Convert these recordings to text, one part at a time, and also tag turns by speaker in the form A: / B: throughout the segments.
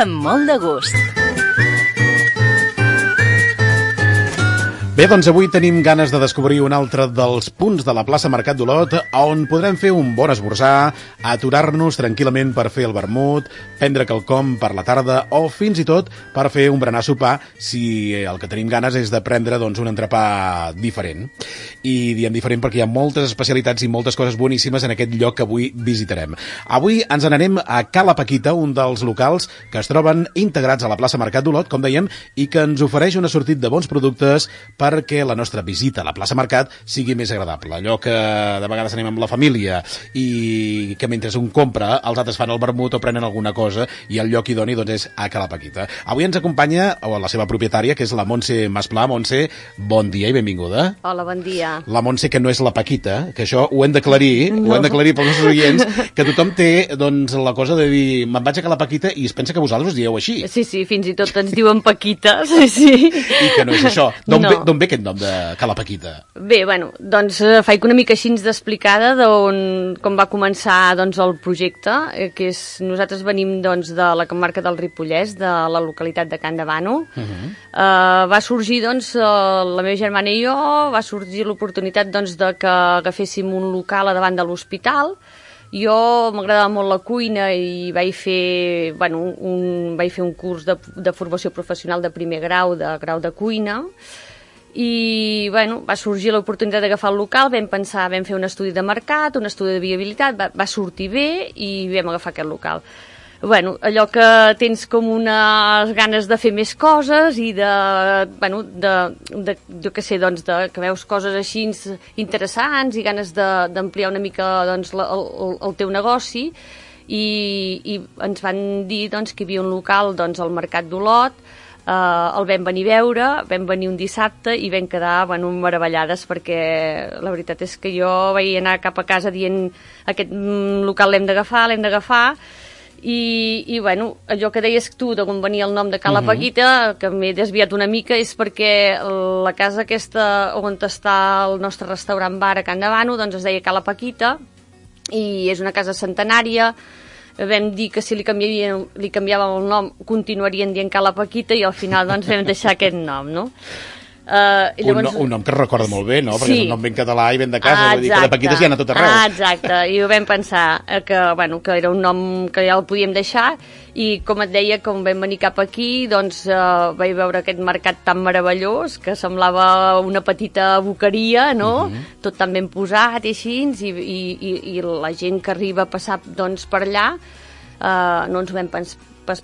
A: amb molt de gust.
B: Bé, doncs avui tenim ganes de descobrir un altre dels punts de la plaça Mercat d'Olot on podrem fer un bon esmorzar, aturar-nos tranquil·lament per fer el vermut, prendre quelcom per la tarda o fins i tot per fer un berenar sopar si el que tenim ganes és de prendre un entrepà diferent. I diem diferent perquè hi ha moltes especialitats i moltes coses boníssimes en aquest lloc que avui visitarem. Avui ens n'anem a Cala Paquita, un dels locals que es troben integrats a la plaça Mercat d'Olot, com dèiem, i que ens ofereix un assortit de bons productes perquè la nostra visita a la plaça Mercat sigui més agradable. Allò que de vegades anem amb la família i que mentre un compra els altres fan el vermut o prenen alguna cosa i el lloc idoni és a Cala Paquita. Avui ens acompanya la seva propietària, que és la Montse Masplà. Montse, bon dia i benvinguda.
C: Hola, bon dia.
B: La Montse, que no és la Paquita, que això ho hem d'aclarir, ho hem d'aclarir pels nostres oients, que tothom té la cosa de dir me'n vaig a Cala Paquita i es pensa que vosaltres us dieu així.
C: Sí, fins i tot ens diuen Paquita, sí.
B: I que no és això. D'on ve aquest nom de Cala Paquita?
C: Bé, faig una mica així d'explicada com va començar el projecte, que és, nosaltres venim de la comarca del Ripollès, de la localitat de Can Davano. Va sorgir, la meva germana i jo, va sorgir l'oportunitat de que agaféssim un local a davant de l'hospital. Jo m'agradava molt la cuina i vaig fer un curs de formació professional de primer grau de cuina. I va sorgir l'oportunitat d'agafar el local, vam fer un estudi de mercat, un estudi de viabilitat, va sortir bé i vam agafar aquest local. Allò que tens com unes ganes de fer més coses i que veus coses així interessants i ganes d'ampliar una mica el teu negoci i ens van dir que hi havia un local al Mercat d'Olot. El vam venir a veure, vam venir un dissabte i vam quedar meravellades perquè la veritat és que jo vaig anar cap a casa dient aquest local l'hem d'agafar i allò que deies tu d'on venia el nom de Cala Paquita, que m'he desviat una mica, és perquè la casa aquesta on està el nostre restaurant bar a Can Davano es deia Cala Paquita i és una casa centenària. Vam dir que si li canviàvem el nom continuarien dient Cala Paquita i al final vam deixar aquest nom, no?
B: Un nom que es recorda molt bé, no? Perquè és un nom ben català i ben de casa, vull dir que de Paquites hi ha a tot arreu.
C: Exacte, i ho vam pensar que era un nom que ja el podíem deixar i com et deia, com vam venir cap aquí vaig veure aquest mercat tan meravellós que semblava una petita boqueria, no? Tot tan ben posat i així, i la gent que arriba a passar per allà no ens ho vam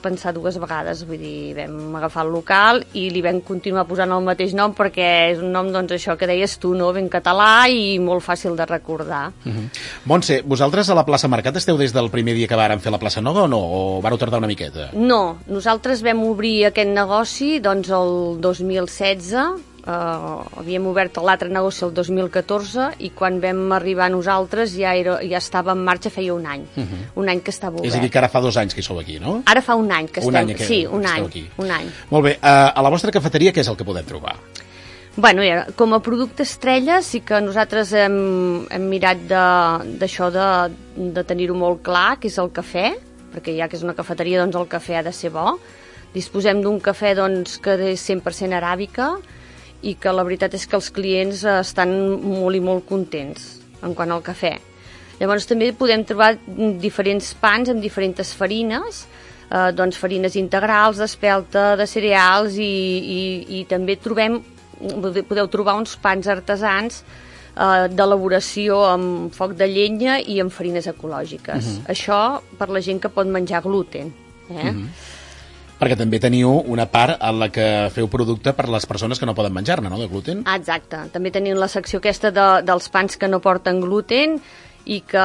C: pensar dues vegades, vull dir, vam agafar el local i li vam continuar posant el mateix nom perquè és un nom, això que deies tu, no? Ben català i molt fàcil de recordar.
B: Montse, vosaltres a la plaça Mercat esteu des del primer dia que vàrem fer la plaça Nova o no? O vareu tardar una miqueta?
C: No, nosaltres vam obrir aquest negoci el 2016, havíem obert l'altre negoci el 2014 i quan vam arribar nosaltres ja estava en marxa feia un any. Un any que estava obert.
B: És a dir, que ara fa 2 anys que hi sou aquí, no?
C: Ara fa un any que estem. Sí, un any.
B: Molt bé, a la vostra cafeteria què és el que podem trobar?
C: Com a producte estrella sí que nosaltres hem mirat d'això de tenir-ho molt clar, que és el cafè, perquè ja que és una cafeteria el cafè ha de ser bo. Disposem d'un cafè que és 100% aràbica i que la veritat és que els clients estan molt i molt contents en quant al cafè. Llavors també podem trobar diferents pans amb diferents farines, farines integrals, d'espelta, de cereals i també podeu trobar uns pans artesans d'elaboració amb foc de llenya i amb farines ecològiques. Això per la gent que pot menjar gluten.
B: Perquè també teniu una part en la que feu producte per les persones que no poden menjar-ne, no?, de gluten.
C: Exacte. També tenim la secció aquesta dels pans que no porten gluten i que,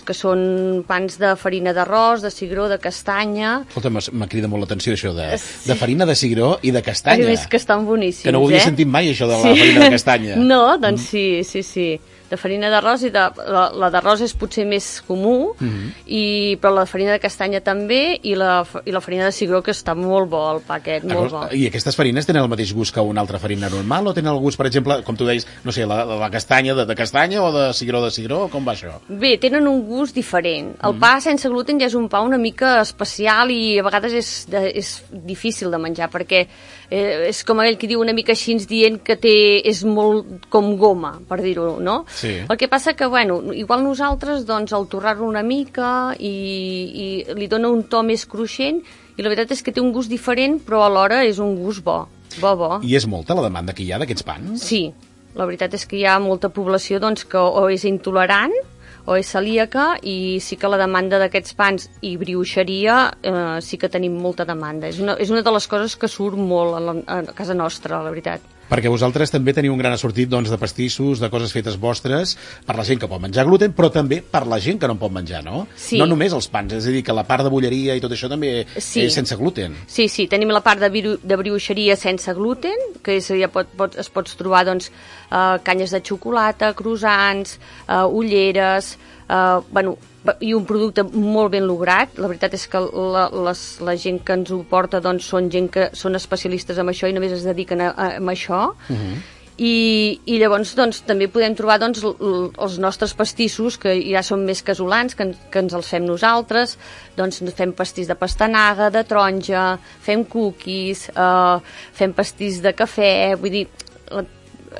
C: que són pans de farina d'arròs, de cigró, de castanya.
B: Escolta, m'ha cridat molt l'atenció això de farina de cigró i de castanya.
C: És que estan boníssims,
B: que no ho havia sentit mai, això de la farina de castanya.
C: No, doncs sí. de farina d'arròs, i la d'arròs és potser més comú, però la farina de castanya també, i la farina de cigró, que està molt bo, el pa aquest, molt bo.
B: I aquestes farines tenen el mateix gust que una altra farina normal, o tenen el gust, per exemple, com tu deies, no sé, la castanya de castanya, o de cigró, com va això?
C: Bé, tenen un gust diferent. El pa sense gluten ja és un pa una mica especial i a vegades és difícil de menjar, perquè és com aquell que diu una mica així dient que és molt com goma, per dir-ho, no?
B: Sí.
C: El que passa que, bueno, igual nosaltres, doncs, al torrar-lo una mica i li dona un to més cruixent, i la veritat és que té un gust diferent, però alhora és un gust bo.
B: I és molta la demanda que hi ha d'aquests pans?
C: Sí, la veritat és que hi ha molta població doncs, que o és intolerant o és celíaca, i sí que la demanda d'aquests pans i brioixeria sí que tenim molta demanda. És una de les coses que surt molt a casa nostra, la veritat.
B: Perquè vosaltres també teniu un gran assortit, doncs, de pastissos, de coses fetes vostres, per la gent que pot menjar gluten, però també per la gent que no en pot menjar, no?
C: Sí.
B: No només els pans, és a dir, que la part de bulleria i tot això també és sense gluten.
C: Sí, tenim la part de brioixeria sense gluten, que ja es pots trobar, doncs, canyes de xocolata, croissants, ulleres, i un producte molt ben lograt. La veritat és que la gent que ens ho porta, doncs, són gent que són especialistes en això i només es dediquen a això. I llavors, doncs, també podem trobar, doncs, els nostres pastissos, que ja són més casolans, que ens els fem nosaltres. Doncs fem pastís de pastanaga, de taronja, fem cookies, fem pastís de cafè, vull dir,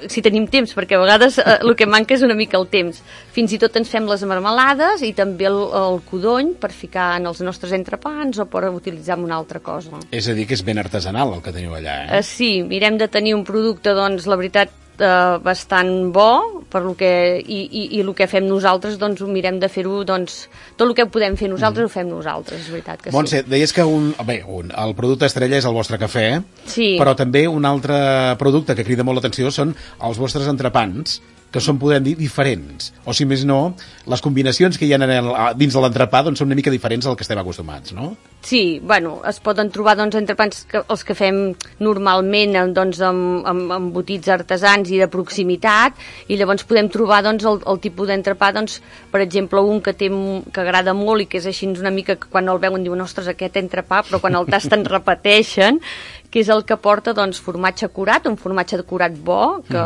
C: si tenim temps, perquè a vegades el que manca és una mica el temps. Fins i tot ens fem les marmelades i també el codony per ficar en els nostres entrepans o per utilitzar en una altra cosa.
B: És a dir, que és ben artesanal el que teniu allà,
C: Sí, mirem de tenir un producte, doncs, la veritat, bastant bo, per lo que, i el que fem nosaltres, doncs, ho mirem de fer-ho, doncs, tot el que podem fer nosaltres ho fem nosaltres, és veritat que sí.
B: Montse, deies que el producte estrella és el vostre cafè,
C: sí,
B: però també un altre producte que crida molt l'atenció són els vostres entrepans, que són, podem dir, diferents. O, si més no, les combinacions que hi ha dins de l'entrepà, doncs, són una mica diferents al que estem acostumats, no?
C: Sí, es poden trobar, doncs, entrepans els que fem normalment, doncs, amb embotits artesans i de proximitat, i llavors podem trobar, doncs, el tipus d'entrepà, doncs, per exemple, un que agrada molt i que és així una mica que quan el veuen diuen, ostres, aquest entrepà, però quan el tasten repeteixen, que és el que porta, doncs, formatge curat, un formatge de curat bo, que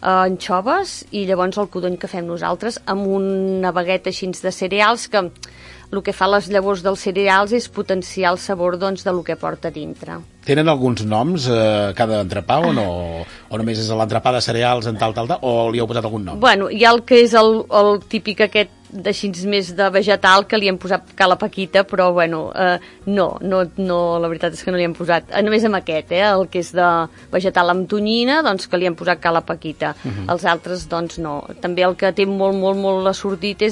C: anxoves, i llavors el codony que fem nosaltres amb una bagueta així de cereals, que el que fa les llavors dels cereals és potenciar el sabor, doncs, del que porta dintre.
B: Tenen alguns noms cada entrepà o no? O només és l'entrepà de cereals en tal, o li heu posat algun nom?
C: Bueno, hi ha el que és el típic aquest d'així més de vegetal, que li hem posat cala paquita, però bueno, no, la veritat és que no li hem posat, només amb aquest, el que és de vegetal amb tonyina, doncs que li hem posat cala paquita. Els altres, doncs no. També el que té molt assortit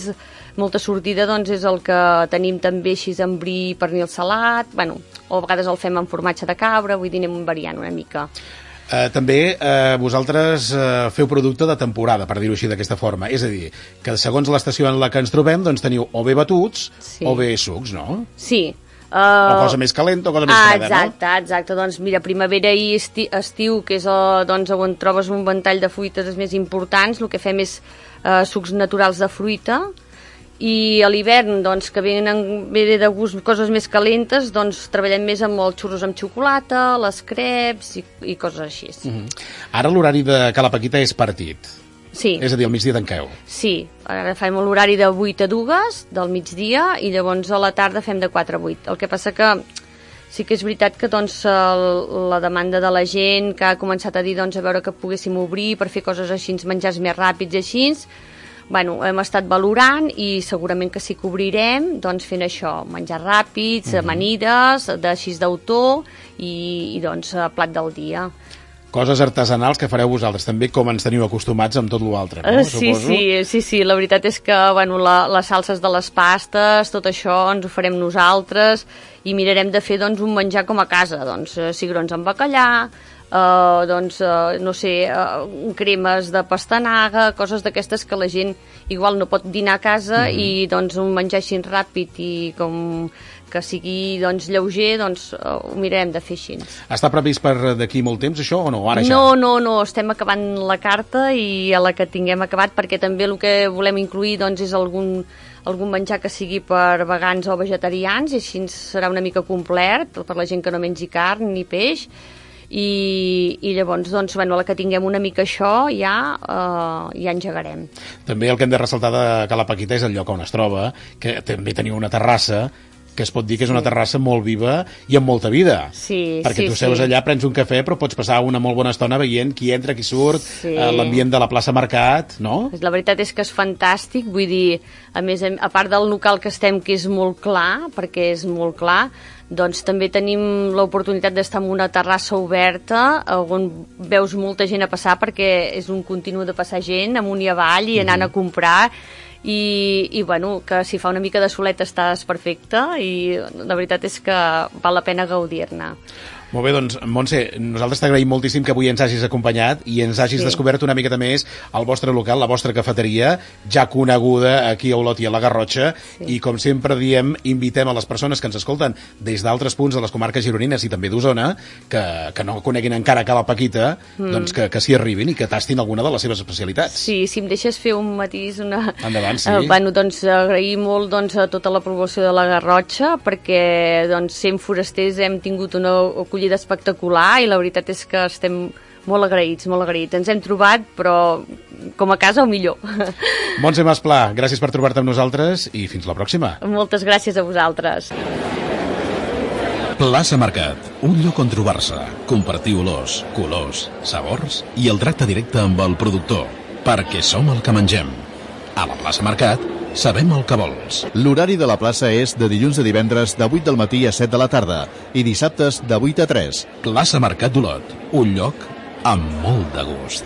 C: molta sortida, doncs, és el que tenim també així amb bri i pernil salat, bueno, o a vegades el fem amb formatge de cabra, vull dir, anem variant una mica.
B: També vosaltres feu producte de temporada, per dir-ho així d'aquesta forma, és a dir, que segons l'estació en la que ens trobem, doncs teniu o bé batuts o bé sucs, no?
C: Sí.
B: O cosa més calenta o cosa més freda, no?
C: Exacte, doncs mira, primavera i estiu, que és doncs, on trobes un ventall de fruites més importants, el que fem és sucs naturals de fruita, i a l'hivern, doncs, que venen bé de gust coses més calentes, doncs treballem més amb els xurros amb xocolata, les creps i coses així.
B: Ara l'horari de Cala Paquita és partit.
C: Sí.
B: És a dir, al migdia tanqueu.
C: Sí, ara fem l'horari de 8 a 2 del migdia i llavors a la tarda fem de 4 a 8. El que passa que sí que és veritat que, doncs, la demanda de la gent que ha començat a dir, doncs, a veure que poguéssim obrir per fer coses així, menjars més ràpids i així, bueno, hem estat valorant i segurament que sí que obrirem, doncs, fent això, menjar ràpids, amanides, d'així d'autor i doncs, plat del dia.
B: Coses artesanals que fareu vosaltres, també com ens teniu acostumats amb tot l'altre, no?
C: Sí, la veritat és que, bueno, les salses de les pastes, tot això ens ho farem nosaltres i mirarem de fer, doncs, un menjar com a casa, doncs, cigrons amb bacallà, no sé, cremes de pastanaga, coses d'aquestes que la gent igual no pot dinar a casa i doncs un menjar així ràpid i com que sigui lleuger, ho mirarem de fer així.
B: Està previst per d'aquí molt temps això o no? Ara ja?
C: No, estem acabant la carta i a la que tinguem acabat, perquè també el que volem incluir és algun menjar que sigui per vegans o vegetarians, i així serà una mica complet per la gent que no mengi carn ni peix, i llavors, a la que tinguem una mica això ja engegarem.
B: També el que hem de ressaltar de Cala Paquita és el lloc on es troba, que també teniu una terrassa que es pot dir que és una terrassa molt viva i amb molta vida.
C: Sí,
B: perquè tu seus allà, prens un cafè, però pots passar una molt bona estona veient qui entra, qui surt, l'ambient de la plaça Mercat, no?
C: La veritat és que és fantàstic, vull dir, a més, a part del local que estem, que és molt clar, perquè és molt clar, doncs també tenim l'oportunitat d'estar en una terrassa oberta on veus molta gent a passar, perquè és un continu de passar gent amunt i avall i anant a comprar, i que si fa una mica de solet estàs perfecte, i la veritat és que val la pena gaudir-ne.
B: Molt bé, doncs, Montse, nosaltres t'agraïm moltíssim que avui ens hagis acompanyat i ens hagis descobert una miqueta més el vostre local, la vostra cafeteria, ja coneguda aquí a Olot i a la Garrotxa, i com sempre diem, invitem a les persones que ens escolten des d'altres punts de les comarques gironines i també d'Osona, que no coneguin encara Cala Paquita, doncs que s'hi arribin i que tastin alguna de les seves especialitats.
C: Sí, si em deixes fer un matís,
B: endavant, sí.
C: Agrair molt a tota la població de la Garrotxa, perquè sent forasters hem tingut una acollida espectacular i la veritat és que estem molt agraïts, molt agraïts. Ens hem trobat, però com a casa o millor.
B: Montse Masplà, gràcies per trobar-te amb nosaltres i fins la pròxima.
C: Moltes gràcies a vosaltres.
A: Plaça Mercat, un lloc on trobar-se, compartir olors, colors, sabors i el tracte directe amb el productor, perquè som el que mengem. A la Plaça Mercat sabem el que vols.
D: L'horari de la plaça és de dilluns a divendres de 8 del matí a 7 de la tarda i dissabtes de 8 a 3.
A: Plaça Mercat d'Olot, un lloc amb molt de gust.